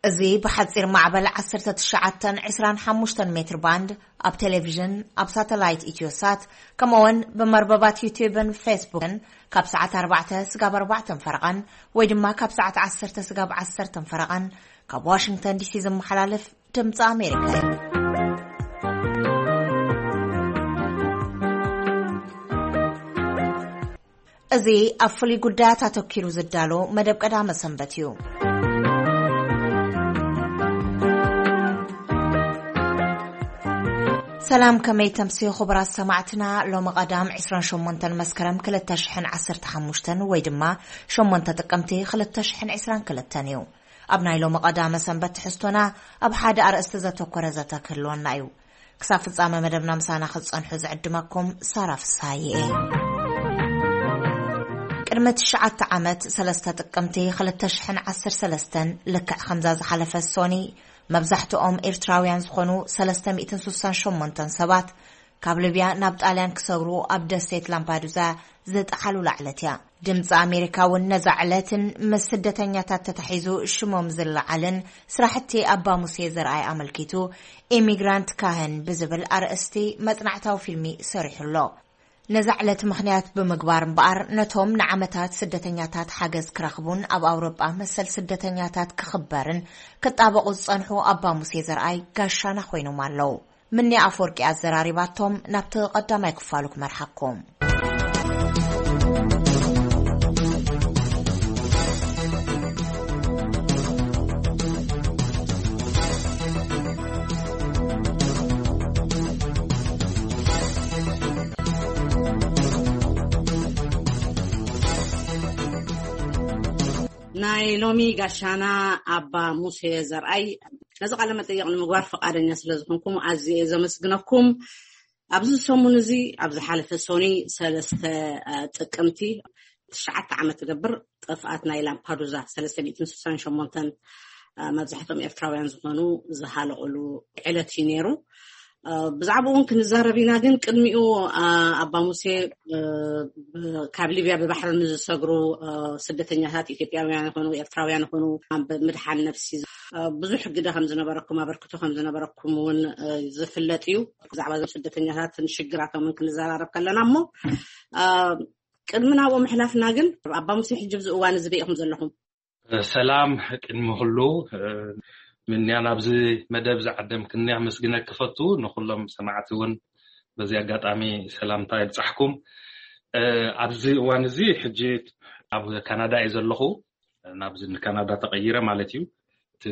እዚ ብሓጺር ማዕበል ዓሰርተ ትሽዓተ ዕስራን ሓሙሽተን ሜትር ባንድ ኣብ ቴሌቪዥን፣ ኣብ ሳተላይት ኢትዮሳት፣ ከምኡውን ብመርበባት ዩቲዩብን ፌስቡክን ካብ ሰዓት ኣርባዕተ ስጋብ ኣርባዕተን ፈረቓን ወይ ድማ ካብ ሰዓት ዓሰርተ ስጋብ ዓሰርተን ፈረቓን ካብ ዋሽንግተን ዲሲ ዝመሓላለፍ ድምፂ ኣሜሪካ እዩ። እዚ ኣብ ፍሉይ ጉዳያት ኣተኪሩ ዝዳሎ መደብ ቀዳመ ሰንበት እዩ። ሰላም፣ ከመይ ተምስዩ ክቡራት ሰማዕትና? ሎሚ ቀዳም ዕስራን ሸሞንተን መስከረም ክልተ ሽሕን ዓሰርተ ሓሙሽተን ወይ ድማ ሸሞንተ ጥቅምቲ ክልተ ሽሕን ዕስራን ክልተን እዩ። ኣብ ናይ ሎሚ ቀዳመ ሰንበት ትሕዝቶና ኣብ ሓደ ኣርእስቲ ዘተኮረ ዘተ ክህልወና እዩ። ክሳብ ፍጻመ መደብና ምሳና ክትጸንሑ ዝዕድመኩም ሳራ ፍስሃየ እየ። ቅድሚ ትሽዓተ ዓመት፣ ሰለስተ ጥቅምቲ ክልተ ሽሕን ዓሰርተ ሰለስተን፣ ልክዕ ከምዛ ዝሓለፈ ሶኒ፣ መብዛሕትኦም ኤርትራውያን ዝኾኑ ሰለስተ ሚእትን ስሳን ሸሞንተን ሰባት ካብ ሊብያ ናብ ጣልያን ክሰግሩ ኣብ ደሴት ላምፓዱዛ ዝጠሓሉላ ዕለት እያ። ድምፂ ኣሜሪካ እውን ነዛ ዕለትን ምስ ስደተኛታት ተታሒዙ ሽሞም ዝለዓልን ስራሕቲ ኣባ ሙሴ ዘርኣይ ኣመልኪቱ ኢሚግራንት ካህን ብዝብል ኣርእስቲ መጽናዕታዊ ፊልሚ ሰሪሑ ኣሎ። ነዛ ዕለት ምኽንያት ብምግባር እምበኣር፣ ነቶም ንዓመታት ስደተኛታት ሓገዝ ክረኽቡን ኣብ ኣውሮጳ መሰል ስደተኛታት ክኽበርን ክጣበቑ ዝጸንሑ ኣባ ሙሴ ዘርኣይ ጋሻና ኮይኖም ኣለዉ። ምኒ ኣፈወርቂ ኣዘራሪባቶም፣ ናብቲ ቀዳማይ ክፋሉ ክመርሓኩም። ናይ ሎሚ ጋሻና ኣባ ሙሴ ዘርኣይ፣ ነዚ ቃለ መጠይቕ ንምግባር ፈቓደኛ ስለ ዝኾንኩም ኣዝየ እየ ዘመስግነኩም። ኣብዚ ሰሙን እዚ፣ ኣብ ዝሓለፈ ሶኒ ሰለስተ፣ አ፣ ጥቅምቲ ትሽዓተ ዓመት ትገብር ጥፍኣት ናይ ላምፓዱዛ ሰለስተ ሚእትን ስሳን ሸሞንተን፣ አ፣ መብዛሕትኦም ኤርትራውያን ዝኾኑ ዝሃለቑሉ ዕለት እዩ ነይሩ። አ፣ ብዛዕባኡ እውን ክንዛረብ ኢና፣ ግን ቅድሚኡ፣ አ፣ ኣባ ሙሴ፣ አ፣ ብ-፣ ካብ ሊብያ ብባሕሪ ንዝሰግሩ፣ አ፣ ስደተኛታት ኢትዮጵያውያን ይኹኑ ኤርትራውያን ይኹኑ ኣብ ምድሓን ነፍሲ፣ አ፣ ብዙሕ ግደ ከም ዝነበረኩም፣ ኣበርክቶ ከም ዝነበረኩም እውን፣ አ፣ ዝፍለጥ እዩ። ብዛዕባ እዞም ስደተኛታትን ሽግራቶምን ክንዘራረብ ከለና እሞ፣ አ፣ ቅድሚ ናብኡ ምሕላፍና ግን፣ ኣባ ሙሴ፣ ሕጂ ኣብዚ እዋን እዚ በይ ኢኹም ዘለኹም? ሰላም፣ ቅድሚ ኩሉ፣ እ፣ ምንያ ናብዚ መደብ ዝዓደምክኒ ኣመስግነኪ እፈቱ። ንኩሎም ሰማዕቲ እውን በዚ ኣጋጣሚ ሰላምታ ይብጻሕኩም። እ፣ ኣብዚ እዋን እዚ ሕጂ ኣብ ካናዳ እየ ዘለኹ። ናብዚ ንካናዳ ተቐይረ ማለት እዩ። እቲ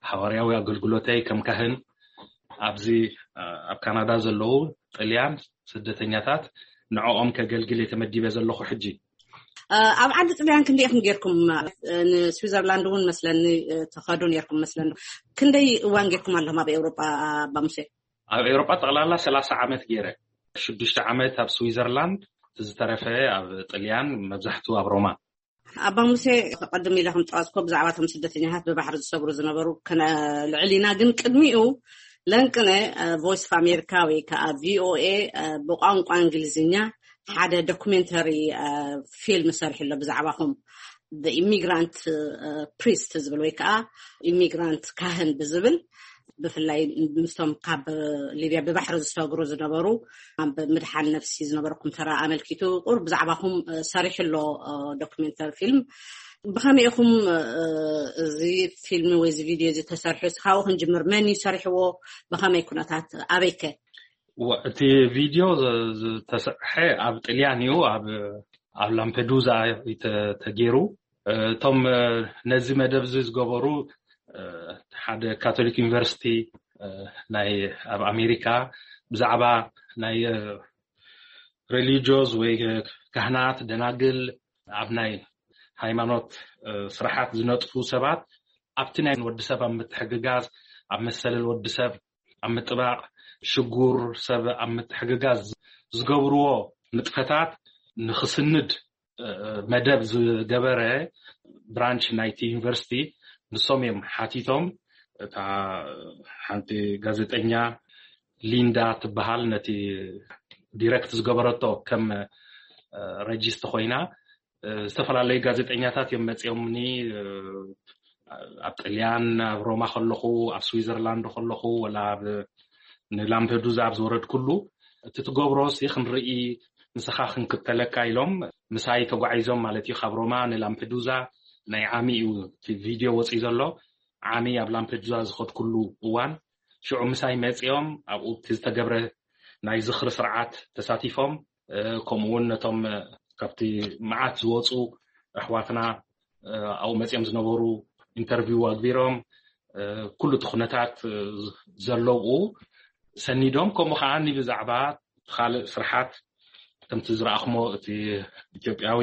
ሃዋርያዊ ኣገልግሎተይ ከም ካህን ኣብዚ፣ እ፣ ኣብ ካናዳ ዘለዉ ጥልያን ስደተኛታት ንዕኦም ከገልግል እየ ተመዲበ ዘለኹ ሕጂ። እ፣ ኣብ ዓዲ ጥልያን ክንደይ ኢኹም ጌርኩም? እ፣ ንስዊዘርላንድ እውን መስለኒ፣ እ፣ ትኸዱ ኔርኩም መስለኒ። ክንደይ እዋን ጌርኩም ኣለኹም ኣብ ኤውሮጳ፣ ኣባ ሙሴ? ኣብ ኤውሮጳ ጠቕላላ ሰላሳ ዓመት ጌረ። ሽዱሽተ ዓመት ኣብ ስዊዘርላንድ፣ እቲ ዝተረፈ ኣብ ጥልያን፣ መብዛሕትኡ ኣብ ሮማ። ኣባ ሙሴ፣ ቅድም ኢለ ከም ጠቐስኮ፣ ብዛዕባ እቶም ስደተኛታት ብባሕሪ ዝሰግሩ ዝነበሩ ክነልዕል ኢና፣ ግን ቅድሚኡ ለንቅነ፣ እ፣ ቮይስ ኦፍ ኣሜሪካ ወይ ከዓ ቪ ኦ ኤ፣ እ፣ ብቋንቋ እንግሊዝኛ ሓደ ዶኩሜንተሪ፣ እ፣ ፊልም ሰሪሑ ኣሎ ብዛዕባኹም፣ ኢሚግራንት ፕሪስት ዝብል ወይ ከዓ ኢሚግራንት ካህን ብዝብል፣ ብፍላይ ምስቶም ካብ ሊብያ ብባሕሪ ዝሰግሩ ዝነበሩ፣ ኣብ ምድሓን ነፍሲ ዝነበረኩም ተራ ኣመልኪቱ ቁሩብ ብዛዕባኹም፣ እ፣ ሰሪሑ ኣሎ፣ እ፣ ዶክሜንተሪ ፊልም። ብኸመይ ኢኹም፣ እ፣ እዚ ፊልም ወይ እዚ ቪድዮ እዚ ተሰሪሑ? እስኻብኡ ክንጅምር፣ መን እዩ ሰሪሕዎ? ብኸመይ ኩነታት? ኣበይከ? ወ-፣ እቲ ቪድዮ ዘ-፣ ዝተሰርሐ ኣብ ጥልያን እዩ፣ ኣብ፣ ኣብ ላምፔዱዛ እዩ ተ-፣ ተገይሩ። እ፣ እቶም፣ እ፣ ነዚ መደብ እዚ ዝገበሩ፣ እ፣ ሓደ ካቶሊክ ዩኒቨርሲቲ፣ እ፣ ናይ ኣብ ኣሜሪካ ብዛዕባ ናይ፣ እ፣ ሬሊጂዮስ ወይ፣ እ፣ ካህናት፣ ደናግል፣ ኣብ ናይ ሃይማኖት፣ እ፣ ስራሓት ዝነጥፉ ሰባት ኣብቲ ናይ ወዲ ሰብ ኣብ ምትሕግጋዝ፣ ኣብ መሰል ወዲ ሰብ ኣብ ምጥባቕ፣ ሽጉር ሰብ ኣብ ምትሕግጋዝ ዝገብርዎ ንጥፈታት ንኽስንድ፣ እ፣ መደብ ዝገበረ ብራንች ናይቲ ዩኒቨርሲቲ፣ ንሶም እዮም ሓቲቶም። እታ ሓንቲ ጋዜጠኛ ሊንዳ ትበሃል፣ ነቲ ዲረክት ዝገበረቶ ከም ረጂስት ኮይና፣ ዝተፈላለዩ ጋዜጠኛታት እዮም መፂኦምኒ። ኣብ ጥልያን፣ ኣብ ሮማ ከለኹ፣ ኣብ ስዊዘርላንድ ከለኹ፣ ወላ ኣብ ንላምፔዱዛ ኣብ ዝወረድኩሉ፣ እቲ ትገብሮ ሲ ክንርኢ፣ ንስኻ ክንክተለካ ኢሎም ምሳይ ተጓዒዞም ማለት እዩ። ካብ ሮማ ንላምፔዱዛ ናይ ዓሚ እዩ እቲ ቪድዮ ወፂኡ ዘሎ። ዓሚ ኣብ ላምፔዱዛ ዝኸድኩሉ እዋን፣ ሽዑ ምሳይ መፂኦም ኣብኡ እቲ ዝተገብረ ናይ ዝኽሪ ስርዓት ተሳቲፎም። ከምኡ እውን ነቶም ካብቲ መዓት ዝወፁ ኣሕዋትና ኣብኡ መፂኦም ዝነበሩ ኢንተርቪው ኣግቢሮም፣ ኩሉ እቲ ኩነታት ዘለውኡ ሰኒዶም፣ ከምኡ ከዓ ብዛዕባ ካልእ ስርሓት ከምቲ ዝረኣኹሞ፣ እቲ ኢትዮጵያዊ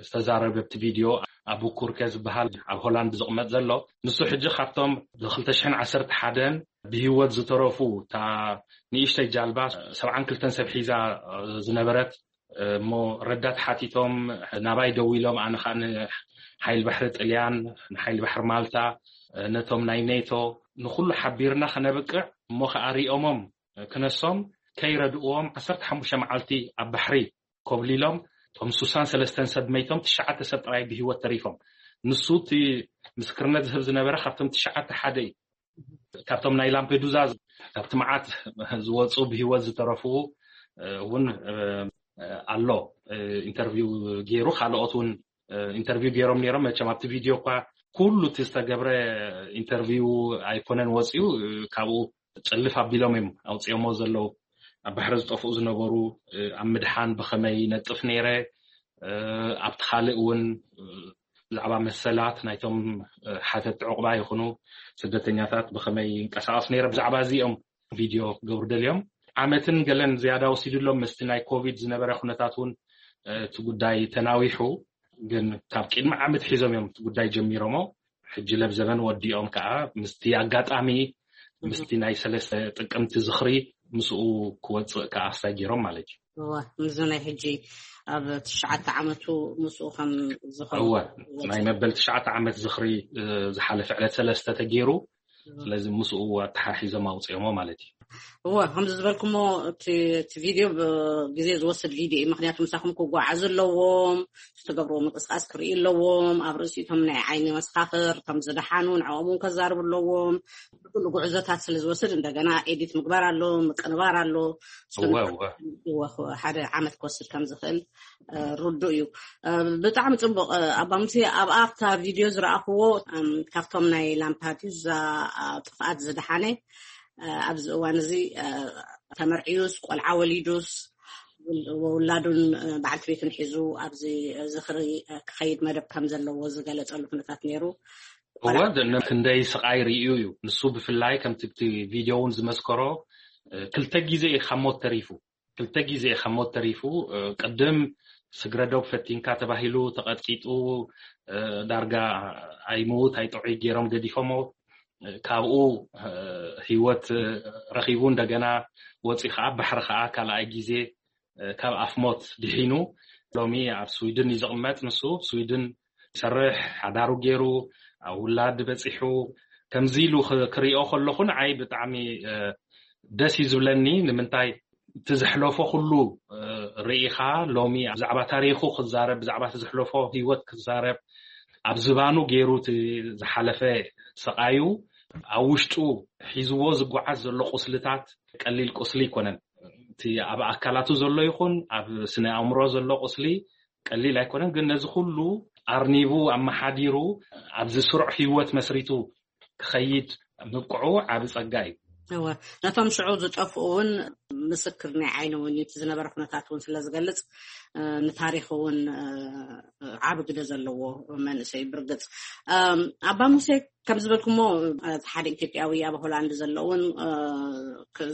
ዝተዛረበ ኣብቲ ቪድዮ፣ ኣቡ ኩርከ ዝበሃል ኣብ ሆላንድ ዝቕመጥ ዘሎ፣ ንሱ ሕጂ ካብቶም ብ ክልተ ሽሕን ዓሰርተ ሓደን ብህይወት ዝተረፉ፣ እታ ንእሽተይ ጃልባ ሰብዓን ክልተን ሰብ ሒዛ ዝነበረት፣ እሞ ረዳት ሓቲቶም ናባይ ደዊሎም፣ ኣነ ከዓ ንሓይል ባሕሪ ጥልያን፣ ንሓይል ባሕሪ ማልታ፣ ነቶም ናይ ኔቶ፣ ንኩሉ ሓቢርና ከነብቅዕ፣ እሞ ከዓ ሪኦሞም ክነሶም ከይረድእዎም ዓሰርተ ሓሙሽተ መዓልቲ ኣብ ባሕሪ ኮብሊሎም፣ እቶም ሱሳን ሰለስተን ሰብ መይቶም፣ ትሽዓተ ሰብ ጥራይ ብህይወት ተሪፎም። ንሱ እቲ ምስክርነት ዝህብ ዝነበረ ካብቶም ትሽዓተ ሓደ እዩ። ካብቶም ናይ ላምፔዱዛ፣ ካብቲ መዓት ዝወፁ ብህይወት ዝተረፉ እውን ኣሎ። ኢንተርቪው ገይሩ፣ ካልኦት እውን ኢንተርቪው ገይሮም ነይሮም። መቸም ኣብቲ ቪድዮ እኳ ኩሉ እቲ ዝተገብረ ኢንተርቪው ኣይኮነን ወፂኡ፣ ካብኡ ጭልፍ ኣቢሎም እዮም ኣውፅኦሞ ዘለዉ። ኣብ ባሕሪ ዝጠፍኡ ዝነበሩ ኣብ ምድሓን ብኸመይ ነጥፍ ነይረ፣ ኣብቲ ካልእ እውን ብዛዕባ መሰላት ናይቶም ሓተቲ ዕቑባ ይኹኑ ስደተኛታት ብኸመይ ይንቀሳቐስ ነይረ፣ ብዛዕባ እዚ እዮም ቪድዮ ክገብሩ ደልዮም። ዓመትን ገለን ዝያዳ ወሲዱሎም። ምስቲ ናይ ኮቪድ ዝነበረ ኩነታት እውን እቲ ጉዳይ ተናዊሑ፣ ግን ካብ ቅድሚ ዓመት ሒዞም እዮም እቲ ጉዳይ ጀሚሮሞ። ሕጂ ለብዘበን ወዲኦም ከዓ ምስቲ ኣጋጣሚ ምስቲ ናይ ሰለስተ ጥቅምቲ ዝኽሪ ምስኡ ክወፅእ ከዓ ኣስታይ ገይሮም ማለት እዩ። እወ፣ ምስዚ ናይ ሕጂ ኣብ ትሽዓተ ዓመቱ ምስኡ ከም ዝኾነ እወ፣ ናይ መበል ትሽዓተ ዓመት ዝኽሪ ዝሓለፈ ዕለት ሰለስተ ተገይሩ። ስለዚ ምስኡ ኣተሓሒዞም ኣውፅኦሞ ማለት እዩ። እወ፣ ከምዚ ዝበልኩሞ እቲ ቪድዮ ግዜ ዝወስድ ቪድዮ እዩ። ምክንያቱ ምሳኹም ክጓዓዙ ኣለዎም፣ ዝተገብርዎ ምንቅስቃስ ክርእዩ ኣለዎም። ኣብ ርእሲቶም ናይ ዓይኒ መሰኻኽር፣ እቶም ዝደሓኑ ንዕኦም እውን ከዛርቡ ኣለዎም። ኩሉ ጉዕዞታት ስለ ዝወስድ እንደገና ኤዲት ምግባር ኣሎ፣ ምቅንባር ኣሎ። ሓደ ዓመት ክወስድ ከም ዝኽእል ርዱእ እዩ። ብጣዕሚ ፅቡቅ። ኣባ ሙሴ፣ ኣብ ኣብታ ቪድዮ ዝረኣኽዎ ካብቶም ናይ ላምፓዱዛ ጥፍኣት ዝደሓነ፣ ኣብዚ እዋን እዚ ተመርዕዩስ ቆልዓ ወሊዱስ ውላዱን በዓልቲ ቤቱን ሒዙ ኣብዚ ዝኽሪ ክኸይድ መደብ ከም ዘለዎ ዝገለጸሉ ኩነታት ነይሩ። እወ፣ ክንደይ ስቓይ ርእዩ እዩ። ንሱ ብፍላይ ከምቲ ቪድዮ እውን ዝመስከሮ ክልተ ግዜ እዩ ካብ ሞት ተሪፉ። ክልተ ግዜ ካብ ሞት ተሪፉ። ቅድም ስግረዶብ ፈቲንካ ተባሂሉ ተቐጥቂጡ፣ ዳርጋ ኣይምውት ኣይጥዑይ ገይሮም ገዲፎሞ። ካብኡ ህይወት ረኺቡ፣ እንደገና ወፂኡ ከዓ ባሕሪ ከዓ ካልኣይ ግዜ ካብ ኣፍ ሞት ድሒኑ። ሎሚ ኣብ ስዊድን እዩ ዝቕመጥ። ንሱ ስዊድን ይሰርሕ፣ ሓዳሩ ገይሩ፣ ኣብ ውላድ በፂሑ። ከምዚ ኢሉ ክሪኦ ከለኹ ንዓይ ብጣዕሚ ደስ እዩ ዝብለኒ። ንምንታይ? እቲ ዘሕለፎ ኩሉ ርኢኻ፣ ሎሚ ብዛዕባ ታሪኹ ክዛረብ፣ ብዛዕባ እቲ ዘሕለፎ ህይወት ክዛረብ፣ ኣብ ዝባኑ ገይሩ እቲ ዝሓለፈ ስቓዩ፣ ኣብ ውሽጡ ሒዝዎ ዝጓዓዝ ዘሎ ቁስልታት ቀሊል ቁስሊ ኣይኮነን። እቲ ኣብ ኣካላቱ ዘሎ ይኹን ኣብ ስነ ኣእምሮ ዘሎ ቁስሊ ቀሊል ኣይኮነን። ግን ነዚ ኩሉ ኣርኒቡ፣ ኣመሓዲሩ፣ ኣብዚ ስሩዕ ህይወት መስሪቱ ክኸይድ ምብቅዑ ዓቢ ጸጋ እዩ። እወ፣ ነቶም ሽዑ ዝጠፍኡ እውን ምስክር ናይ ዓይኒ እውን እዩ። እቲ ዝነበረ ኩነታት እውን ስለ ዝገልጽ፣ ንታሪኽ እውን ዓቢ ግደ ዘለዎ መንእሰይ ብርግጽ። ኣባ ሙሴ፣ ከም ዝበልኩሞ፣ ሓደ ኢትዮጵያዊ ኣብ ሆላንድ ዘለውን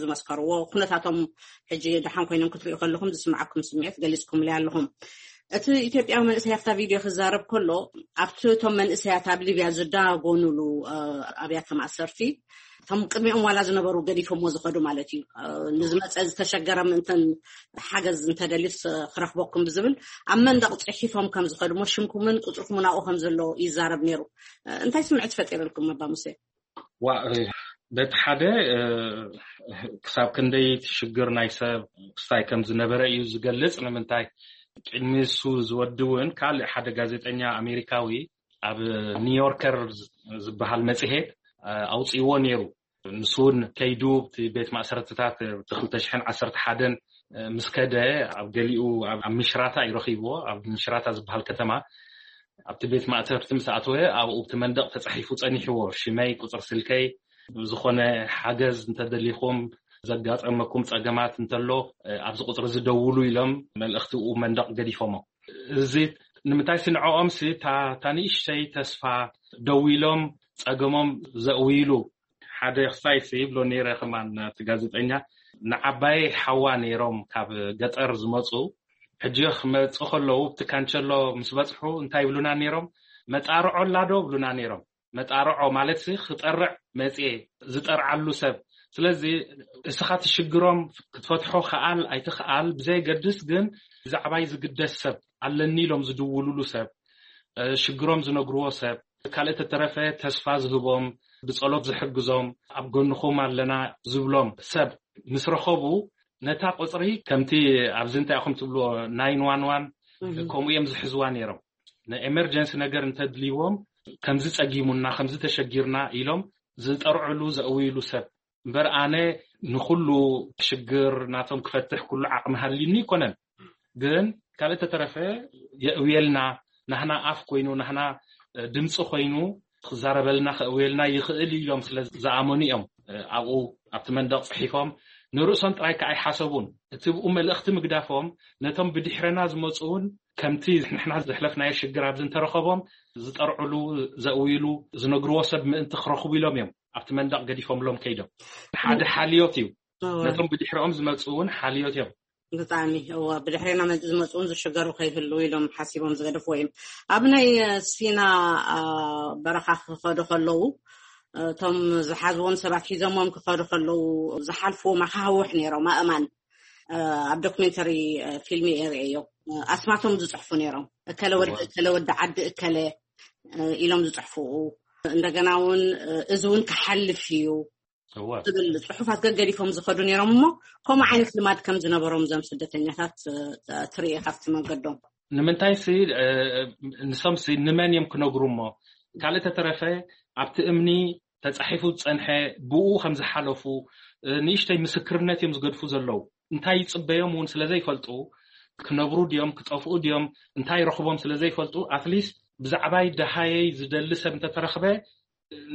ዝመስከርዎ ኩነታቶም ሕጂ ደሓን ኮይኖም ክትሪኡ ከለኹም ዝስምዓኩም ስምዒት ገሊጽኩምለይ ኣለኹም። እቲ ኢትዮጵያዊ መንእሰይ ኣብታ ቪድዮ ክዛረብ ከሎ፣ ኣብቲ እቶም መንእሰያት ኣብ ሊብያ ዝዳጎኑሉ፣ እ፣ ኣብያተ ማእሰርቲ፣ እቶም ቅድሚኦም ዋላ ዝነበሩ ገዲፎምዎ ዝኸዱ ማለት እዩ። እ፣ ንዝመጸ ዝተሸገረ ምእንተን ሓገዝ እንተደልዩስ፣ እ፣ ክረኽበኩም ብዝብል ኣብ መንደቕ ጽሒፎም ከም ዝኸዱ እሞ ሽምኩምን ቁጽርኩምን ኣብኡ ከም ዘሎ ይዛረብ ነይሩ። እ፣ እንታይ ስምዒት ፈጢሩልኩም ኣባ ሙሴ? ዋ፣ እ፣ በቲ ሓደ፣ እ፣ ክሳብ ክንደይ እቲ ሽግር ናይ ሰብ ክስታይ ከም ዝነበረ እዩ ዝገልጽ። ንምንታይ? ቅድሚ እሱ ዝወዲ እውን ካልእ ሓደ ጋዜጠኛ ኣሜሪካዊ ኣብ ኒውዮርከር ዝ-፣ ዝበሃል መጽሔት፣ እ፣ ኣውጽእዎ ነይሩ። ንሱ እውን ከይዱ እቲ ቤት ማእሰርትታት ብ ክልተ ሽሕን ዓሰርተ ሓደን ምስ ከደ፣ ኣብ ገሊኡ ኣብ፣ ኣብ ምሽራታ እዩ ረኺብዎ። ኣብ ምሽራታ ዝበሃል ከተማ ኣብቲ ቤት ማእሰርት ምስ ኣተወ፣ ኣብኡ እቲ መንደቕ ተጻሒፉ ጸኒሕዎ። ሽመይ፣ ቁጽሪ ስልከይ፣ ዝኾነ ሓገዝ እንተደሊኹም፣ ዘጋጠመኩም ጸገማት እንተሎ፣ ኣብዚ ቁጽሪ እዚ ደውሉ ኢሎም መልእኽቲ ኣብኡ መንደቕ ገዲፎሞ። እዚ ንምንታይ ስንዕኦም ሲ፣ እታ፣ እታ ንእሽተይ ተስፋ ደው ኢሎም ጸገሞም ዘእውይሉ ሓደ ክስታይ ሲ ይብሎ ነይረ። ከማን እቲ ጋዜጠኛ፣ ንዓባየይ ሓዋ ነይሮም ካብ ገጠር ዝመጹ። ሕጂ ክመጹ ከለዉ፣ ኣብቲ ካንቸሎ ምስ በጽሑ እንታይ ይብሉና ነይሮም? "መጣርዖ ኣላ ዶ?" ይብሉና ነይሮም። መጣርዖ ማለት ሲ፣ ክጠርዕ መጽኤ፣ ዝጠርዓሉ ሰብ። ስለዚ እስኻ እቲ ሽግሮም ክትፈትሖ ከኣል ኣይትኸኣል ብዘየገድስ፣ ግን ብዛዕባይ ዝግደስ ሰብ ኣለኒ ኢሎም ዝድውሉሉ ሰብ፣ እ፣ ሽግሮም ዝነግርዎ ሰብ፣ ካልእ ተተረፈ ተስፋ ዝህቦም፣ ብጸሎት ዝሕግዞም፣ ኣብ ጎንኹም ኣለና ዝብሎም ሰብ ምስ ረኸቡ፣ ነታ ቁጽሪ ከምቲ ኣብዚ እንታይ ኢኹም ትብልዎ፣ ናይን ዋን ዋን፣ እህ። ከምኡ እዮም ዝሕዝዋ ነይሮም። ንኤመርጀንሲ ነገር እንተድልይዎም፣ ከምዚ ጸጊሙና፣ ከምዚ ተሸጊርና ኢሎም ዝጠርዕሉ፣ ዘእውይሉ ሰብ። እምበር ኣነ ንኹሉ ሽግር ናቶም ክፈትሕ ኩሉ ዓቕሚ ሃልዩኒ ኣይኮነን። ግን ካልእ ተተረፈ የእውየልና፣ ናህና ኣፍ ኮይኑ፣ ናህና፣ እ፣ ድምፂ ኮይኑ ክዛረበልና፣ ከእውየልና ይኽእል እዩ ኢሎም ስለ ዝኣመኑ እዮም፣ እ፣ ኣብኡ ኣብቲ መንደቕ ጽሒፎም። ንርእሶም ጥራይ ከኣ ኣይሓሰቡን። እቲ ብኡ መልእኽቲ ምግዳፎም ነቶም ብድሕረና ዝመጹ እውን ከምቲ ንሕና ዘሕለፍናዮ ሽግር ኣብዚ እንተረኸቦም ዝጠርዕሉ፣ ዘእውይሉ፣ ዝነግርዎ ሰብ ምእንቲ ክረኽቡ ኢሎም እዮም ኣብቲ መንደቕ ገዲፎምሎም ከይዶም። ሓደ ሓልዮት እዩ። እወ። ነቶም ብድሕሪኦም ዝመጹ እውን ሓልዮት እዮም። ብጣዕሚ፣ እወ፣ ብድሕሬና መ-፣ ዝመጹ እውን ዝሽገሩ ከይህልዉ ኢሎም ሓሲቦም ዝገደፍዎ እዮም። ኣብ ናይ፣ እ፣ ሲና፣ እ፣ በረኻ ክኸዱ ከለዉ፣ እ፣ እቶም ዝሓዝዎም ሰባት ሒዞሞም ክኸዱ ከለዉ ዝሓልፍዎ መኻውሕ ነይሮም፣ ኣእማን። እ፣ ኣብ ዶክሜንተሪ፣ እ፣ ፊልም የርእየዮ። እ፣ ኣስማቶም ዝጽሕፉ ነይሮም። እከለ ወዲ፣ እወ። እከለ ወዲ ዓዲ እከለ፣ እ፣ ኢሎም ዝጽሕፉ። እንደገና እውን፣ እ፣ እዚ እውን ክሓልፍ እዩ። እወ። ዝብል ጽሑፋት ገገዲፎም ዝኸዱ ነይሮም እሞ፣ ከምኡ ዓይነት ልማድ ከም ዝነበሮም እዞም ስደተኛታት፣ እ፣ ትርኢ ካብቲ መንገዶም። ንምንታይ ሲ፣ እ፣ ንሶም ሲ ንመን እዮም ክነግሩ እሞ? ካልእ ተተረፈ ኣብቲ እምኒ ተጻሒፉ ዝጸንሐ ብኡ ከም ዝሓለፉ፣ እ፣ ንእሽተይ ምስክርነት እዮም ዝገድፉ ዘለዉ። እንታይ ይጽበዮም እውን ስለ ዘይፈልጡ፣ ክነብሩ ድዮም፣ ክጠፍኡ ድዮም፣ እንታይ ረኽቦም ስለ ዘይፈልጡ፣ ኣትሊስት ብዛዕባይ ደሃየይ ዝደሊ ሰብ እንተተረኽበ፣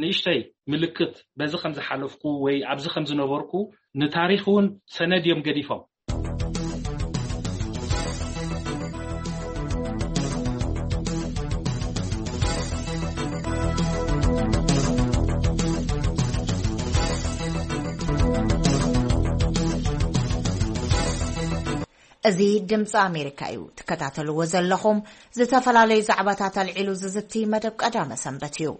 ንእሽተይ ምልክት በዚ ከም ዝሓለፍኩ ወይ ኣብዚ ከም ዝነበርኩ ንታሪኽ እውን ሰነድ እዮም ገዲፎም። እዚ ድምፂ ኣሜሪካ እዩ ትከታተልዎ ዘለኹም። ዝተፈላለዩ ዛዕባታት ኣልዒሉ ዝዝቲ መደብ ቀዳመ ሰንበት እዩ።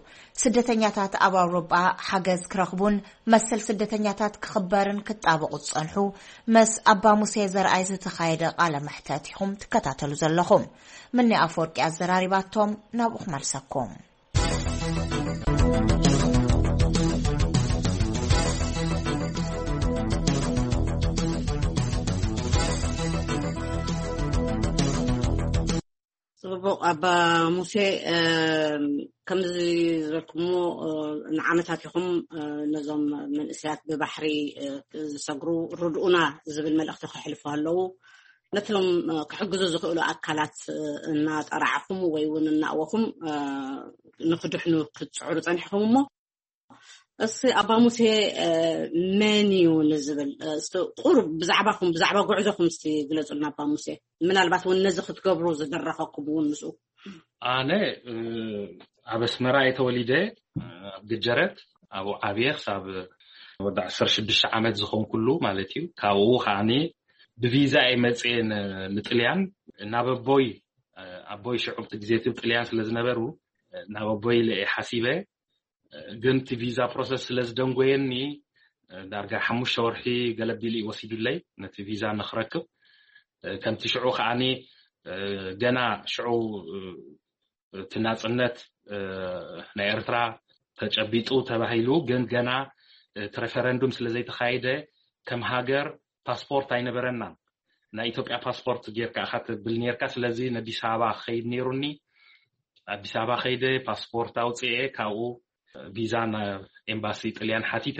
ስደተኛታት ኣብ ኣውሮጳ ሓገዝ ክረኽቡን መሰል ስደተኛታት ክኽበርን ክጣበቑ ዝጸንሑ፣ ምስ ኣባ ሙሴ ዘርኣይ ዝተኻየደ ቃለ መሕተት ኢኹም ትከታተሉ ዘለኹም። ምኒ ኣፈወርቂ ኣዘራሪባቶም፣ ናብኡ ክመልሰኩም። ጽቡቕ ኣባ ሙሴ፣ እም፣ ከምዚ ዝበልኩሞ፣ እ፣ ንዓመታት ኢኹም፣ እ፣ ነዞም መንእሰያት ብባሕሪ፣ እ፣ ዝሰግሩ ርድኡና ዝብል መልእኽቲ ከሕልፉ ኣለዉ። ነቶም፣ እ፣ ክሕግዙ ዝኽእሉ ኣካላት፣ እ፣ እናጠራዕኹም ወይ እውን እናእወኹም፣ እ፣ ንክድሕኑ ክትጽዕሩ ጸኒሕኹም እሞ፣ እስኪ ኣባ ሙሴ፣ እ፣ መን እዩ ንዝብል፣ እ፣ እስቲ ቁሩብ ብዛዕባኹም፣ ብዛዕባ ጉዕዞኹም እስቲ ግለጹልና ኣባ ሙሴ። ምናልባት እውን ነዚ ክትገብሩ ዝደረኸኩም እውን ምስኡ። ኣነ፣ እ፣ ኣብ ኣስመራ እየ ተወሊደ፣ እ፣ ኣብ ግጀረት፣ ኣብኡ ዓብየ ክሳብ ወዲ ዓሰርተ ሽዱሽተ ዓመት ዝኾንኩሉ ማለት እዩ። ካብኡ ከዓኒ ብቪዛ እየ መፅየ ን-፣ ንጥልያን። ናብ ኣቦይ ኣቦይ ሽዑ ኣብቲ ግዜ እቲ ጥልያን ስለ ዝነበሩ ናብ ኣቦይ ኢለ እየ ሓሲበ። ግን እቲ ቪዛ ፕሮሰስ ስለ ዝደንጎየኒ ዳርጋ ሓሙሽተ ወርሒ ገለቢሉ እዩ ወሲዱለይ ነቲ ቪዛ ንክረክብ። ከምቲ ሽዑ ከዓኒ ገና ሽዑ እቲ ናጽነት ናይ ኤርትራ ተጨቢጡ ተባሂሉ፣ ግን ገና እቲ ሬፈረንዱም ስለ ዘይተኻየደ ከም ሃገር ፓስፖርት ኣይነበረናን። ናይ ኢትዮጵያ ፓስፖርት ጌርካ ኢኻ ትብል ኔርካ። ስለዚ ንኣዲስ ኣበባ ክኸይድ ኔሩኒ። ኣዲስ ኣበባ ከይደ ፓስፖርት ኣውፅኤ፣ ካብኡ ቪዛ ናብ ኤምባሲ ጥልያን ሓቲተ።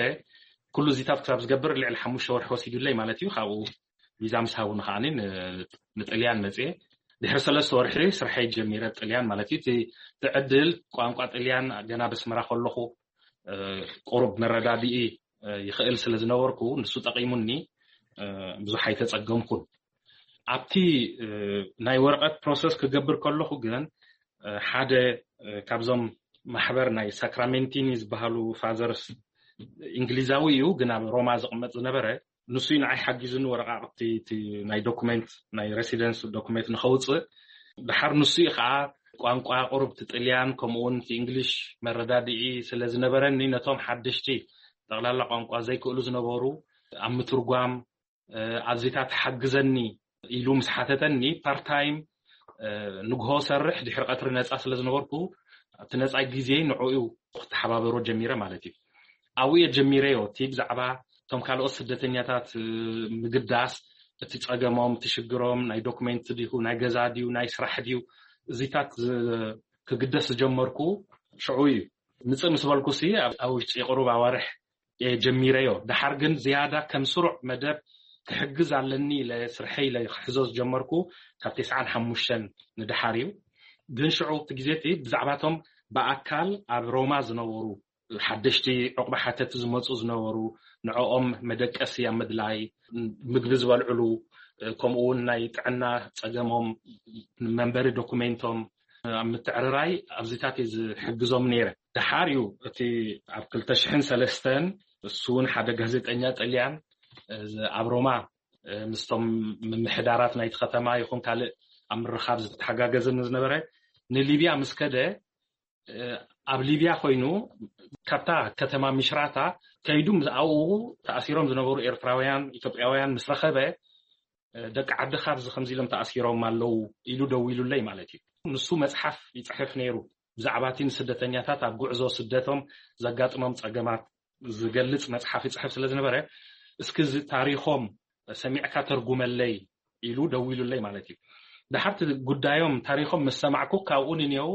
ኩሉ እዚታት ክሳብ ዝገብር ልዕሊ ሓሙሽተ ወርሒ ወሲዱለይ ማለት እዩ። ካብኡ ቪዛ ምስ ሃቡኒ ከዓኒ ን- ንጥልያን መፅኤ። ድሕሪ ሰለስተ ወርሒ ስርሐይ ጀሚረ ጥልያን ማለት እዩ። እቲ እቲ ዕድል ቋንቋ ጥልያን ገና በስመራ ከለኹ ቁሩብ መረዳድኢ ይኽእል ስለ ዝነበርኩ ንሱ ጠቒሙኒ። ብዙሕ ኣይተጸገምኩን። ኣብቲ ናይ ወረቐት ፕሮሰስ ክገብር ከለኹ ግን ሓደ ካብዞም ማሕበር ናይ ሳክራሜንቲኒ ዝበሃሉ ፋዘርስ፣ እንግሊዛዊ እዩ ግን ኣብ ሮማ ዝቕመጥ ዝነበረ፣ ንሱ እዩ ንዓይ ሓጊዙኒ ወረቓቕቲ እቲ ናይ ዶኩሜንት ናይ ሬሲደንስ ዶኩሜንት ንኸውፅእ። ድሓር ንሱ እዩ ከዓ ቋንቋ ቁሩብ እቲ ጥልያን ከምኡ እውን እቲ እንግሊሽ መረዳድኢ ስለ ዝነበረኒ ነቶም ሓደሽቲ ጠቕላላ ቋንቋ ዘይክእሉ ዝነበሩ ኣብ ምትርጓም ኣብዚታት ሓግዘኒ ኢሉ ምስ ሓተተኒ ፓርታይም ንግሆ ሰርሕ ድሕሪ ቀትሪ ነፃ ስለ ዝነበርኩ ኣብቲ ነፃ ግዜ ንዕኡ ክተሓባበሮ ጀሚረ ማለት እዩ። ኣብኡ እየ ጀሚረዮ እቲ ብዛዕባ እቶም ካልኦት ስደተኛታት ምግዳስ፣ እቲ ፀገሞም፣ እቲ ሽግሮም፣ ናይ ዶክሜንት ድዩ፣ ናይ ገዛ ድዩ፣ ናይ ስራሕ ድዩ፣ እዚታት ክግደስ ዝጀመርኩ ሽዑ እዩ። ምፅእ ምስ በልኩ ሲ ኣብ ውሽጢ ቁሩብ ኣዋርሕ ጀሚረዮ። ደሓር ግን ዝያዳ ከም ስሩዕ መደብ ክሕግዝ ኣለኒ ኢለ ስርሐይ ኢለ ክሕዞ ዝጀመርኩ ካብ ተስዓን ሓሙሽተን ንደሓር እዩ። ግን ሽዑ እቲ ግዜ እቲ ብዛዕባቶም ብኣካል ኣብ ሮማ ዝነበሩ ሓደሽቲ ዕቑባ ሓተቲ ዝመፁ ዝነበሩ ንዕኦም መደቀሲ ኣብ ምድላይ፣ ምግቢ ዝበልዕሉ፣ ከምኡ እውን ናይ ጥዕና ፀገሞም፣ መንበሪ ዶኩሜንቶም ኣብ ምትዕርራይ ኣብዚታት እየ ዝሕግዞም ነይረ። ደሓር እዩ እቲ ኣብ ክልተ ሽሕን ሰለስተን እሱ እውን ሓደ ጋዜጠኛ ጥልያን ኣብ ሮማ ምስቶም ምምሕዳራት ናይቲ ከተማ ይኹን ካልእ ኣብ ምርኻብ ዝተሓጋገዘ ዝነበረ ንሊብያ ምስ ከደ ኣብ ሊብያ ኮይኑ ካብታ ከተማ ምሽራታ ከይዱ ኣብኡ ተኣሲሮም ዝነበሩ ኤርትራውያን ኢትዮጵያውያን ምስ ረኸበ ደቂ ዓድኻ ኣብዚ ከምዚ ኢሎም ተኣሲሮም ኣለዉ ኢሉ ደዊሉለይ ማለት እዩ። ንሱ መፅሓፍ ይፅሕፍ ነይሩ ብዛዕባ እቲ ንስደተኛታት ኣብ ጉዕዞ ስደቶም ዘጋጥሞም ፀገማት ዝገልፅ መፅሓፍ ይፅሕፍ ስለ ዝነበረ እስኪ እዚ ታሪኾም ሰሚዕካ ተርጉመለይ ኢሉ ደዊሉለይ ማለት እዩ። ድሓርቲ ጉዳዮም ታሪኾም ምስ ሰማዕኩ ካብኡ ንኔው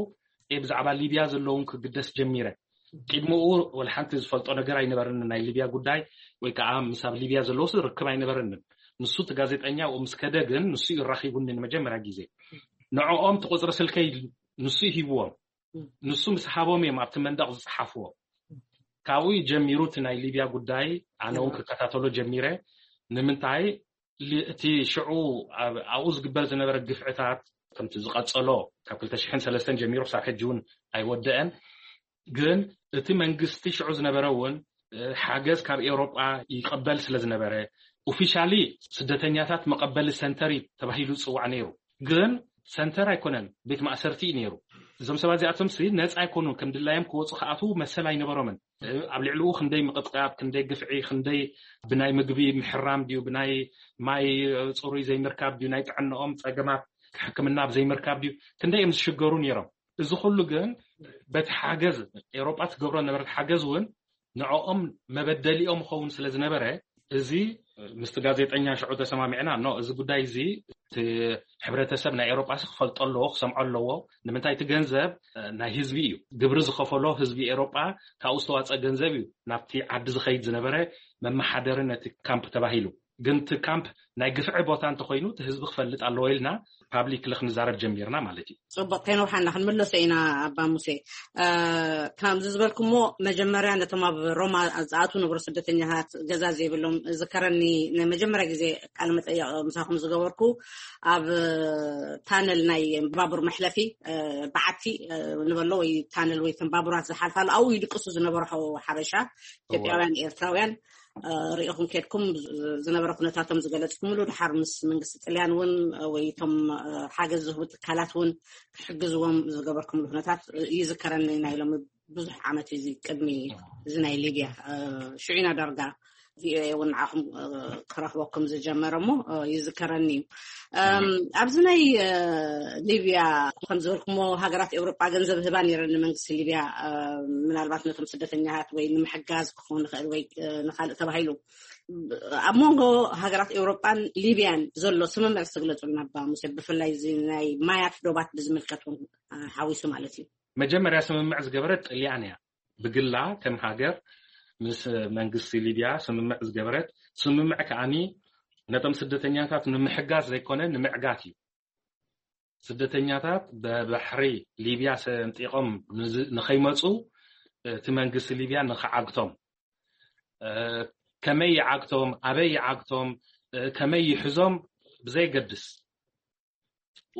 ብዛዕባ ሊብያ ዘለውን ክግደስ ጀሚረ። ቅድሚኡ ወላ ሓንቲ ዝፈልጦ ነገር ኣይነበረንን ናይ ሊብያ ጉዳይ ወይ ከዓ ምስ ኣብ ሊብያ ዘለውስ ርክብ ኣይነበረንን። ንሱ እቲ ጋዜጠኛ ኣብኡ ምስ ከደ ግን ንሱ እዩ ራኺቡኒ ንመጀመርያ ግዜ። ንዕኦም እቲ ቁፅሪ ስልከይ ንሱ እዩ ሂብዎም። ንሱ ምስ ሃቦም እዮም ኣብቲ መንደቕ ዝፀሓፍዎ። ካብኡ እዩ ጀሚሩ እቲ ናይ ሊብያ ጉዳይ ኣነ እውን ክከታተሎ ጀሚረ። ንምንታይ እቲ ሽዑ ኣብኡ ዝግበር ዝነበረ ግፍዕታት ከምቲ ዝቐፀሎ ካብ ክልተ ሽሕን ሰለስተን ጀሚሩ ክሳብ ሕጂ እውን ኣይወደአን። ግን እቲ መንግስቲ ሽዑ ዝነበረ እውን ሓገዝ ካብ ኤውሮጳ ይቀበል ስለ ዝነበረ ኦፊሻሊ ስደተኛታት መቐበሊ ሰንተር ተባሂሉ ዝፅዋዕ ነይሩ። ግን ሰንተር ኣይኮነን፣ ቤት ማእሰርቲ እዩ ነይሩ። እዞም ሰባት እዚኣቶም ሲ ነፃ ኣይኮኑን፣ ከም ድላዮም ክወፁ ክኣትዉ መሰል ኣይነበሮምን። ኣብ ልዕሊኡ ክንደይ ምቕጥቃጥ፣ ክንደይ ግፍዒ፣ ክንደይ ብናይ ምግቢ ምሕራም ድዩ፣ ብናይ ማይ ፅሩይ ዘይምርካብ ድዩ፣ ናይ ጥዕናኦም ፀገማት ሕክምና ኣብ ዘይምርካብ ድዩ፣ ክንደይ እዮም ዝሽገሩ ነይሮም። እዚ ኩሉ ግን በቲ ሓገዝ ኤውሮጳ ትገብሮ ነበረት ሓገዝ እውን ንዕኦም መበደሊኦም ኸውን ስለ ዝነበረ እዚ ምስቲ ጋዜጠኛ ሽዑ ተሰማሚዕና ኖ እዚ ጉዳይ እዚ እቲ ሕብረተሰብ ናይ ኤውሮጳ ክፈልጦ ኣለዎ ክሰምዖ ኣለዎ። ንምንታይ እቲ ገንዘብ ናይ ህዝቢ እዩ፣ ግብሪ ዝኸፈሎ ህዝቢ ኤውሮጳ ካብኡ ዝተዋፀ ገንዘብ እዩ ናብቲ ዓዲ ዝኸይድ ዝነበረ መመሓደሪ ነቲ ካምፕ ተባሂሉ። ግን እቲ ካምፕ ናይ ግፍዒ ቦታ እንተኮይኑ እቲ ህዝቢ ክፈልጥ ኣለዎ ኢልና ፓብሊክ ክንዛረብ ጀሚርና ማለት እዩ። ፅቡቅ ከይነውሓና ክንምለሶ ኢና ኣባ ሙሴ። ከምዚ ዝበልኩሞ መጀመርያ ነቶም ኣብ ሮማ ዝኣትዉ ነበሩ ስደተኛታት ገዛ ዘይብሎም ዝከረኒ ንመጀመርያ ግዜ ቃለ መጠየቅ ምሳኹም ዝገበርኩ ኣብ ታነል ናይ ባቡር መሕለፊ በዓቲ ንበሎ ወይ ታነል ወይ ተን ባቡራት ዝሓልፋሉ ኣብኡ ይድቅሱ ዝነበሩ ሓበሻ ኢትዮጵያውያን ኤርትራውያን ርኢኹም ከድኩም ዝነበረ ኩነታቶም ዝገለፅኩምሉ፣ ድሓር ምስ መንግስቲ ጥልያን እውን ወይ እቶም ሓገዝ ዝህቡ ትካላት እውን ክሕግዝዎም ዝገበርኩምሉ ኩነታት ይዝከረኒ። ናይ ሎሚ ብዙሕ ዓመት እዩ ቅድሚ እዚ ናይ ሊብያ ሽዑ ኢና ዳርጋ ቪኦኤ እውን ንዓኹም ክረኽበኩም ዝጀመረ እሞ ይዝከረኒ እዩ። ኣብዚ ናይ ሊብያ ከም ዝበልኩሞ ሃገራት ኤውሮጳ ገንዘብ ህባ ነይረን ንመንግስቲ ሊብያ፣ ምናልባት ነቶም ስደተኛታት ወይ ንምሕጋዝ ክኸውን ይኽእል ወይ ንካልእ ተባሂሉ። ኣብ መንጎ ሃገራት ኤውሮጳን ሊብያን ዘሎ ስምምዕ ዝትግለጹልና ኣባ ሙሴ፣ ብፍላይ እዚ ናይ ማያት ዶባት ብዝምልከት እውን ሓዊሱ ማለት እዩ። መጀመርያ ስምምዕ ዝገበረት ጥልያን እያ። ብግላ ከም ሃገር ምስ መንግስቲ ሊብያ ስምምዕ ዝገበረት፣ ስምምዕ ከዓኒ ነቶም ስደተኛታት ንምሕጋዝ ዘይኮነ ንምዕጋት እዩ። ስደተኛታት ብባሕሪ ሊብያ ሰንጢቖም ንኸይመፁ እቲ መንግስቲ ሊብያ ንኽዓግቶም፣ ከመይ ይዓግቶም፣ ኣበይ ይዓግቶም፣ ከመይ ይሕዞም ብዘይገድስ፣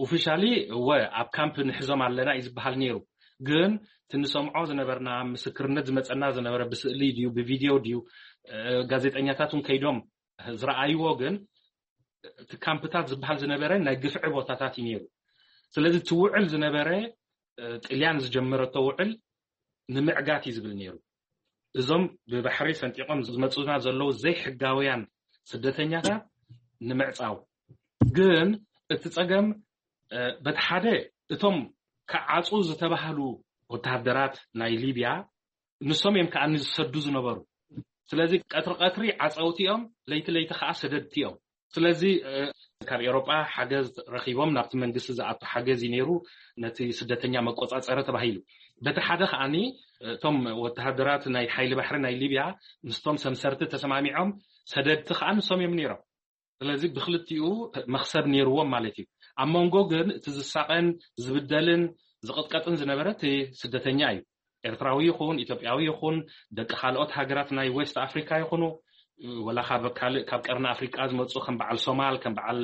ኦፊሻሊ እወ ኣብ ካምፕ ንሕዞም ኣለና እዩ ዝበሃል ነይሩ። ግን ትንሰምዖ ዝነበርና፣ ምስክርነት ዝመፀና ዝነበረ፣ ብስእሊ ድዩ ብቪድዮ ድዩ፣ ጋዜጠኛታት እውን ከይዶም ዝረኣይዎ፣ ግን እቲ ካምፕታት ዝበሃል ዝነበረ ናይ ግፍዒ ቦታታት እዩ ነይሩ። ስለዚ እቲ ውዕል ዝነበረ ጥልያን ዝጀመረቶ ውዕል ንምዕጋት እዩ ዝብል ነይሩ። እዞም ብባሕሪ ሰንጢቖም ዝመፁና ዘለዉ ዘይሕጋውያን ስደተኛታት ንምዕፃው። ግን እቲ ፀገም በቲ ሓደ እቶም ክዓፁ ዝተባህሉ ወተሃደራት ናይ ሊብያ ንሶም እዮም ከዓ ዝሰዱ ዝነበሩ። ስለዚ ቀትሪ ቀትሪ ዓፀውቲ እዮም፣ ለይቲ ለይቲ ከዓ ሰደድቲ እዮም። ስለዚ ካብ ኤውሮጳ ሓገዝ ረኺቦም ናብቲ መንግስቲ ዝኣቱ ሓገዝ እዩ ነይሩ፣ ነቲ ስደተኛ መቆፃፀሪ ተባሂሉ። በቲ ሓደ ከዓኒ እቶም ወተሃደራት ናይ ሓይሊ ባሕሪ ናይ ሊብያ ምስቶም ሰምሰርቲ ተሰማሚዖም ሰደድቲ ከዓ ንሶም እዮም ነይሮም። ስለዚ ብክልቲኡ መክሰብ ነይርዎም ማለት እዩ። ኣብ መንጎ ግን እቲ ዝሳቐን ዝብደልን ዝቕጥቀጥን ዝነበረ እቲ ስደተኛ እዩ። ኤርትራዊ ይኹን ኢትዮጵያዊ ይኹን ደቂ ካልኦት ሃገራት ናይ ዌስት ኣፍሪካ ይኹኑ፣ ወላ ካብ ካልእ ካብ ቀርኒ ኣፍሪቃ ዝመፁ ከም በዓል ሶማል፣ ከም በዓል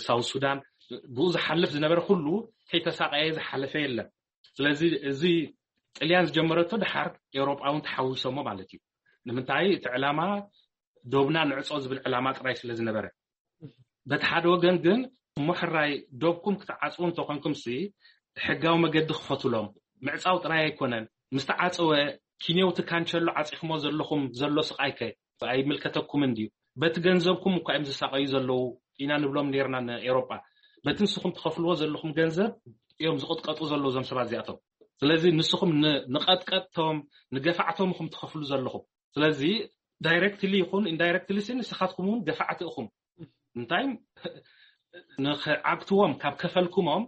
ሳውት ሱዳን፣ ብኡ ዝሓልፍ ዝነበረ ኩሉ ከይተሳቀየ ዝሓለፈ የለን። ስለዚ እዚ ጥልያን ዝጀመረቶ ድሓር ኤውሮጳውን ተሓዊሶሞ ማለት እዩ። ንምንታይ እቲ ዕላማ ዶብና ንዕጾ ዝብል ዕላማ ጥራይ ስለ ዝነበረ፣ በቲ ሓደ ወገን ግን እሞ ሕራይ ዶብኩም ክትዓጽዉ እንተኾንኩም ሲ ሕጋዊ መገዲ ክፈቱሎም። ምዕጻው ጥራይ ኣይኮነን፣ ምስ ተዓጸወ ኪንዮው ትካንቸሎ ዓጺኽሞ ዘለኹም ዘሎ ስቓይከ ኣይምልከተኩምን ድዩ? በቲ ገንዘብኩም እኳ እዮም ዝሳቐዩ ዘለዉ ኢና ንብሎም ነርና ንኤውሮጳ። በቲ ንስኹም ትኸፍልዎ ዘለኹም ገንዘብ እዮም ዝቕጥቀጡ ዘለዉ እዞም ሰባት እዚኣቶም። ስለዚ ንስኹም ንቐጥቀጥቶም ንገፋዕቶም ኢኹም ትኸፍሉ ዘለኹም። ስለዚ ዳይረክትሊ ይኹን ኢንዳይረክትሊ ሲ ንስኻትኩም እውን ገፋዕቲ ኢኹም። እንታይ ንኽዓግትዎም ካብ ከፈልኩሞም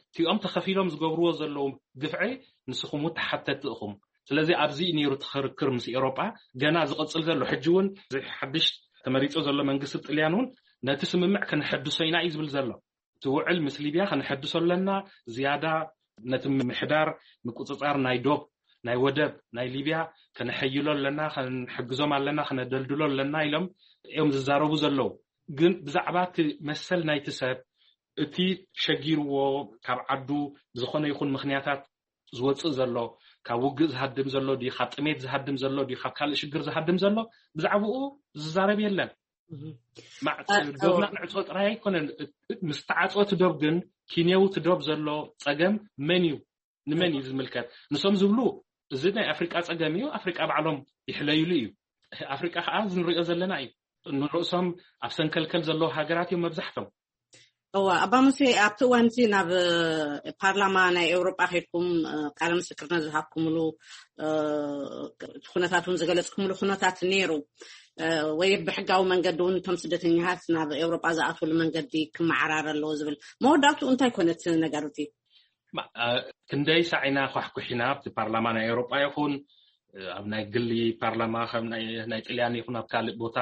እቲኦም ተኸፊሎም ዝገብርዎ ዘለዉ ግፍዒ ንስኹም እውን ተሓተቲ ኢኹም። ስለዚ ኣብዚ እዩ ነይሩ እቲ ክርክር ምስ ኤውሮጳ ገና ዝቕጽል ዘሎ። ሕጂ እውን እዚ ሓድሽ ተመሪጹ ዘሎ መንግስቲ ጥልያን እውን ነቲ ስምምዕ ከነሐድሶ ኢና እዩ ዝብል ዘሎ። እቲ ውዕል ምስ ሊብያ ከነሐድሶ ኣለና። ዝያዳ ነቲ ምሕዳር ምቁጽጻር ናይ ዶብ ናይ ወደብ ናይ ሊብያ ከነሐይሎ ኣለና፣ ከንሕግዞም ኣለና፣ ከነደልድሎ ኣለና ኢሎም እዮም ዝዛረቡ ዘለዉ። ግን ብዛዕባ እቲ መሰል ናይቲ ሰብ እቲ ሸጊርዎ ካብ ዓዱ ብዝኾነ ይኹን ምኽንያታት ዝወፅእ ዘሎ፣ ካብ ውግእ ዝሃድም ዘሎ ድዩ፣ ካብ ጥሜት ዝሃድም ዘሎ ድዩ፣ ካብ ካልእ ሽግር ዝሃድም ዘሎ፣ ብዛዕባኡ ዝዛረብ የለን። ዶብና ንዕፆ ጥራይ ኣይኮነን፣ ምስ ተዓፅወ እቲ ዶብ ግን ኪንየው እቲ ዶብ ዘሎ ፀገም መን እዩ፣ ንመን እዩ ዝምልከት? ንሶም ዝብሉ እዚ ናይ ኣፍሪቃ ፀገም እዩ፣ ኣፍሪቃ ባዕሎም ይሕለዩሉ እዩ። ኣፍሪቃ ከዓ እዚ ንሪኦ ዘለና እዩ። ንርእሶም ኣብ ሰንከልከል ዘለዉ ሃገራት እዮም መብዛሕቶም። እዋ ኣባ ሙሴ፣ ኣብቲ እዋን እቲ ናብ ፓርላማ ናይ ኤውሮጳ ከድኩም ቃለ ምስክርነት ዝሃብኩምሉ እቲ ኩነታት እውን ዝገለፅኩምሉ ኩነታት ነይሩ። ወይ ብሕጋዊ መንገዲ እውን እቶም ስደተኛታት ናብ ኤውሮጳ ዝኣትውሉ መንገዲ ክመዓራረ ኣለዎ ዝብል መወዳእትኡ እንታይ ኮነ እቲ ነገር እቲ? ክንደይ ሳዕ ኢና ኳሕኩሒና ኣብቲ ፓርላማ ናይ ኤውሮጳ ይኹን ኣብ ናይ ግሊ ፓርላማ ከም ናይ ጥልያን ይኹን ኣብ ካልእ ቦታ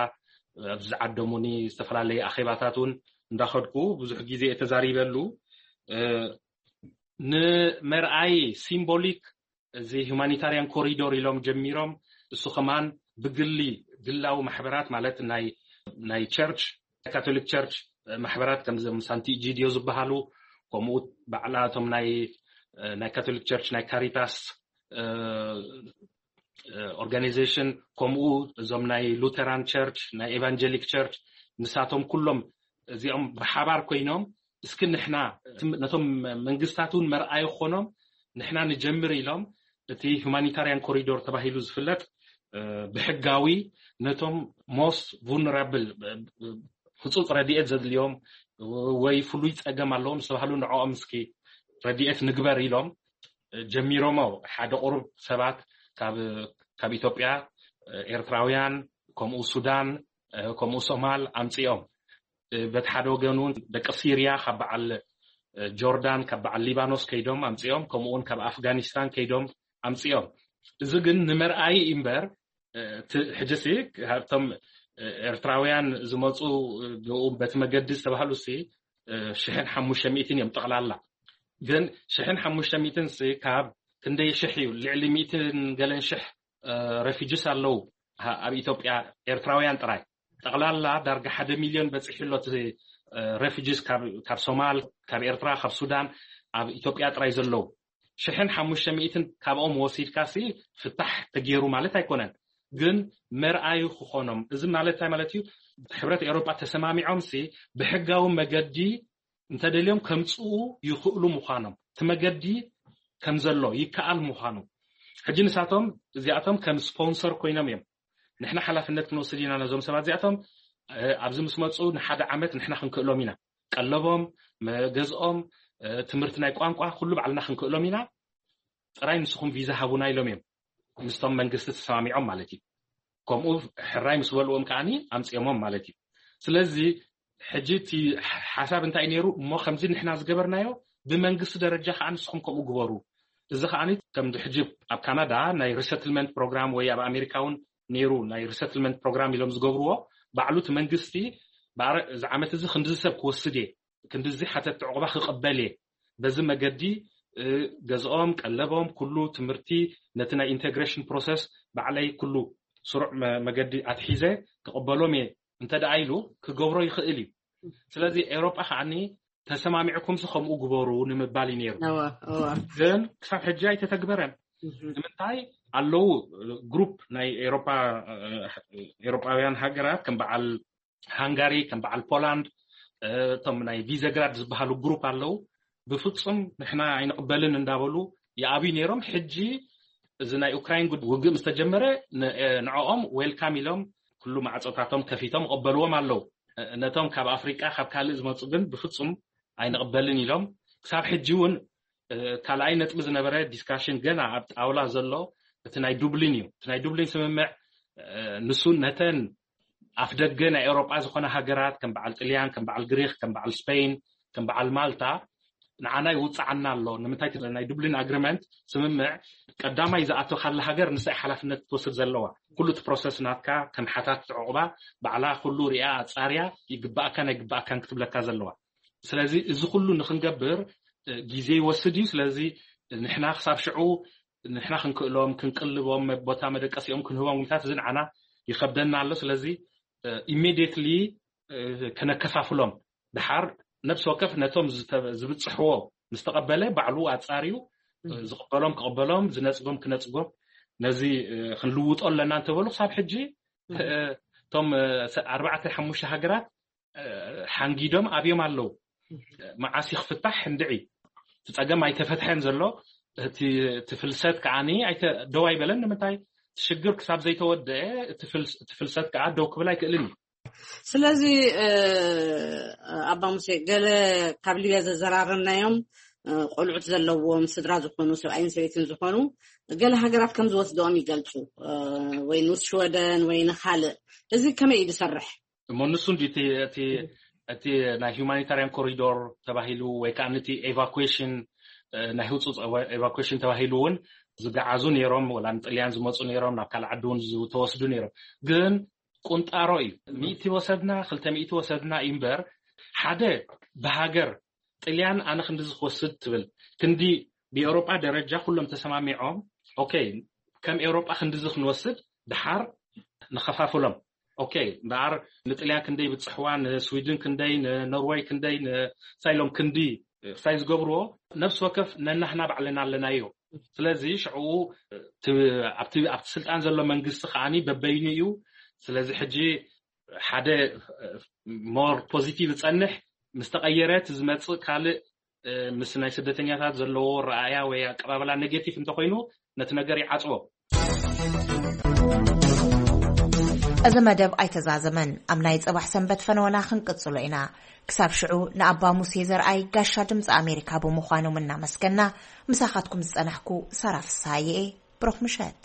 ኣብ ዝዓደሙኒ ዝተፈላለየ ኣኼባታት እውን እንዳኸድኩ ብዙሕ ግዜ እየ ተዛሪበሉ። ንመርኣይ ሲምቦሊክ እዚ ሁማኒታሪያን ኮሪዶር ኢሎም ጀሚሮም፣ እሱ ከማን ብግሊ ግላዊ ማሕበራት ማለት ናይ ናይ ቸርች ካቶሊክ ቸርች ማሕበራት ከምዞም ሳንቲ ኢጂዲዮ ዝበሃሉ፣ ከምኡ ባዕላቶም ናይ ናይ ካቶሊክ ቸርች ናይ ካሪታስ ኦርጋናይዜሽን፣ ከምኡ እዞም ናይ ሉተራን ቸርች፣ ናይ ኤቫንጀሊክ ቸርች፣ ንሳቶም ኩሎም እዚኦም ብሓባር ኮይኖም፣ እስኪ ንሕና ነቶም መንግስታት እውን መርኣይ ክኾኖም ንሕና ንጀምር ኢሎም፣ እቲ ሁማኒታሪያን ኮሪዶር ተባሂሉ ዝፍለጥ ብሕጋዊ ነቶም ሞስት ቡልነራብል፣ ህፁፅ ረድኤት ዘድልዮም ወይ ፍሉይ ፀገም ኣለዎም ዝተባህሉ ንዕኦም እስኪ ረድኤት ንግበር ኢሎም ጀሚሮሞ። ሓደ ቁሩብ ሰባት ካብ ኢትዮጵያ፣ ኤርትራውያን፣ ከምኡ ሱዳን፣ ከምኡ ሶማል ኣምፅኦም። በቲ ሓደ ወገን እውን ደቂ ሲርያ ካብ በዓል ጆርዳን፣ ካብ በዓል ሊባኖስ ከይዶም ኣምፅኦም፣ ከምኡ እውን ካብ ኣፍጋኒስታን ከይዶም ኣምፅኦም። እዚ ግን ንመርኣይ እምበር፣ ሕጂ ሲ ካብቶም ኤርትራውያን ዝመፁ ብኡ በቲ መገዲ ዝተባህሉ ሲ ሽሕን ሓሙሽተ ሚእትን እዮም ጠቕላላ። ግን ሽሕን ሓሙሽተ ሚእትን ሲ ካብ ክንደይ ሽሕ እዩ? ልዕሊ ሚእትን ገለን ሽሕ ረፊጅስ ኣለዉ ኣብ ኢትዮጵያ፣ ኤርትራውያን ጥራይ። ጠቕላላ ዳርጋ ሓደ ሚልዮን በፂሑ ኣሎ እቲ ረፊጅስ ካብ ሶማል፣ ካብ ኤርትራ፣ ካብ ሱዳን ኣብ ኢትዮጵያ ጥራይ ዘለዉ። ሽሕን ሓሙሽተ ሚእትን ካብኦም ወሲድካ ሲ ፍታሕ ተገይሩ ማለት ኣይኮነን። ግን መርኣዩ ክኾኖም፣ እዚ ማለት እንታይ ማለት እዩ? ሕብረት ኤውሮጳ ተሰማሚዖም ሲ ብሕጋዊ መገዲ እንተደልዮም ከምፅኡ ይኽእሉ ምዃኖም፣ እቲ መገዲ ከም ዘሎ ይከኣል ምዃኑ። ሕጂ ንሳቶም እዚኣቶም ከም ስፖንሰር ኮይኖም እዮም። ንሕና ሓላፍነት ክንወስድ ኢና ነዞም ሰባት እዚኣቶም። ኣብዚ ምስ መፁ ንሓደ ዓመት ንሕና ክንክእሎም ኢና። ቀለቦም፣ መገዝኦም፣ ትምህርቲ ናይ ቋንቋ ኩሉ ባዕልና ክንክእሎም ኢና። ጥራይ ንስኹም ቪዛ ሃቡና ኢሎም እዮም ምስቶም መንግስቲ ተሰማሚዖም ማለት እዩ። ከምኡ ሕራይ ምስ በልዎም ከዓኒ ኣምፅኦሞም ማለት እዩ። ስለዚ ሕጂ እቲ ሓሳብ እንታይ ነይሩ እሞ ከምዚ ንሕና ዝገበርናዮ ብመንግስቲ ደረጃ ከዓ ንስኹም ከምኡ ግበሩ። እዚ ከዓኒ ከም ሕጂ ኣብ ካናዳ ናይ ሪሰትልመንት ፕሮግራም ወይ ኣብ ኣሜሪካ እውን ነይሩ ናይ ሪሰትልመንት ፕሮግራም ኢሎም ዝገብርዎ ባዕሉ እቲ መንግስቲ እዚ ዓመት እዚ ክንዲ ሰብ ክወስድ እየ ክንድዚ ሓተት ዕቑባ ክቕበል እየ። በዚ መገዲ ገዝኦም፣ ቀለቦም፣ ኩሉ ትምህርቲ ነቲ ናይ ኢንቴግሬሽን ፕሮሰስ ባዕለይ ኩሉ ስሩዕ መገዲ ኣትሒዘ ክቕበሎም እየ እንተ ደኣ ኢሉ ክገብሮ ይኽእል እዩ። ስለዚ ኤውሮጳ ከዓኒ ተሰማሚዕኩምሲ ከምኡ ግበሩ ንምባል እዩ ነይሩ። ግን ክሳብ ሕጂ ኣይተተግበረን። ንምንታይ ኣለዉ ግሩፕ ናይ ኤውሮጳውያን ሃገራት ከም በዓል ሃንጋሪ፣ ከም በዓል ፖላንድ፣ እቶም ናይ ቪዘግራድ ዝበሃሉ ግሩፕ ኣለዉ። ብፍፁም ንሕና ኣይንቕበልን እንዳበሉ ይኣብዩ ነይሮም። ሕጂ እዚ ናይ ኡክራይን ውግእ ምስ ተጀመረ ንዕኦም ዌልካም ኢሎም ኩሉ ማዕፆታቶም ከፊቶም ይቕበልዎም ኣለዉ። ነቶም ካብ ኣፍሪቃ ካብ ካልእ ዝመፁ ግን ብፍፁም ኣይንቕበልን ኢሎም። ክሳብ ሕጂ እውን ካልኣይ ነጥቢ ዝነበረ ዲስካሽን ገና ኣብ ጣውላ ዘሎ እቲ ናይ ዱብሊን እዩ። እቲ ናይ ዱብሊን ስምምዕ ንሱ ነተን ኣፍ ደገ ናይ ኤውሮጳ ዝኾነ ሃገራት ከም በዓል ጥልያን፣ ከም በዓል ግሪክ፣ ከም በዓል ስፔን፣ ከም በዓል ማልታ ንዓና ይውፅዓና ኣሎ። ንምንታይ? ናይ ዱብሊን ኣግሪመንት ስምምዕ ቀዳማይ ዝኣተኻላ ሃገር ንሳይ ሓላፍነት ክትወስድ ዘለዋ። ኩሉ እቲ ፕሮሰስ ናትካ ከም ሓታት ዕቑባ ባዕላ ኩሉ ሪኣ ኣፃርያ ይግባኣካን ኣይግባኣካን ክትብለካ ዘለዋ። ስለዚ እዚ ኩሉ ንክንገብር ግዜ ይወስድ እዩ። ስለዚ ንሕና ክሳብ ሽዑ ንሕና ክንክእሎም ክንቅልቦም ቦታ መደቀሲኦም ክንህቦም ግንታት እዚ ንዓና ይኸብደና ኣሎ። ስለዚ ኢሚዲየትሊ ከነከፋፍሎም ድሓር ነብሲ ወከፍ ነቶም ዝብፅሕዎ ምስ ተቐበለ ባዕሉ ኣፃርዩ ዝቕበሎም ክቕበሎም ዝነፅጎም ክነፅጎም ነዚ ክንልውጦ ኣለና እንተበሉ ክሳብ ሕጂ እቶም ኣርባዕተ ሓሙሽተ ሃገራት ሓንጊዶም ኣብዮም ኣለዉ። መዓስ ይክፍታሕ እንድዒ እቲ ፀገም ኣይተፈትሐን ዘሎ። እቲ ፍልሰት ከዓኒ ደው ኣይበለን። ንምንታይ? ሽግር ክሳብ ዘይተወደአ እቲ ፍልሰት ከዓ ደው ክብል ኣይክእልን እዩ። ስለዚ ኣባ ሙሴ ገለ ካብ ሊብያ ዘዘራረብናዮም ቆልዑት ዘለዎም ስድራ ዝኾኑ ሰብኣይን ሰበይትን ዝኾኑ ገለ ሃገራት ከም ዝወስደኦም ይገልፁ ወይ ንስ ሽወደን ወይ ንካልእ። እዚ ከመይ እዩ ዝሰርሕ? እሞ ንሱ እንዲ እቲ ናይ ሁማኒታሪያን ኮሪዶር ተባሂሉ ወይ ከዓ ነቲ ኤቫኩዌሽን ናይ ህፁፅ ኤቫኩዌሽን ተባሂሉ እውን ዝገዓዙ ነይሮም ወላ ንጥልያን ዝመፁ ነይሮም ናብ ካልእ ዓዲ እውን ዝተወስዱ ነይሮም። ግን ቁንጣሮ እዩ። ሚእቲ ወሰድና ክልተ ሚእቲ ወሰድና እዩ እምበር ሓደ ብሃገር ጥልያን ኣነ ክንድዚ ክወስድ ትብል ክንዲ ብኤውሮጳ ደረጃ ኩሎም ተሰማሚዖም ኦኬ ከም ኤውሮጳ ክንድዚ ክንወስድ ድሓር ንኸፋፍሎም። ኦኬ እምበኣር ንጥልያን ክንደይ ብፅሕዋ ንስዊድን ክንደይ ንኖርወይ ክንደይ ንሳይሎም ክንዲ ክሳይ ዝገብርዎ ነብሲ ወከፍ ነናህና ባዕልና ኣለናዮ። ስለዚ ሽዑ እቲ ኣብቲ ኣብቲ ስልጣን ዘሎ መንግስቲ ከዓኒ በበይኑ እዩ። ስለዚ ሕጂ ሓደ ሞር ፖዚቲቭ ዝጸንሕ ምስ ተቐየረ፣ እቲ ዝመጽእ ካልእ ምስ ናይ ስደተኛታት ዘለዎ ረኣያ ወይ ኣቀባበላ ኔጌቲቭ እንተኮይኑ፣ ነቲ ነገር ይዓጽቦ። እዚ መደብ ኣይተዛዘመን። ኣብ ናይ ጽባሕ ሰንበት ፈነወና ክንቅጽሎ ኢና። ክሳብ ሽዑ ንኣባ ሙሴ ዘርኣይ ጋሻ ድምፂ ኣሜሪካ ብምዃኖም እናመስገና፣ ምሳኻትኩም ዝጸናሕኩ ሳራ ፍስሃየ እየ። ብሩኽ ምሸት።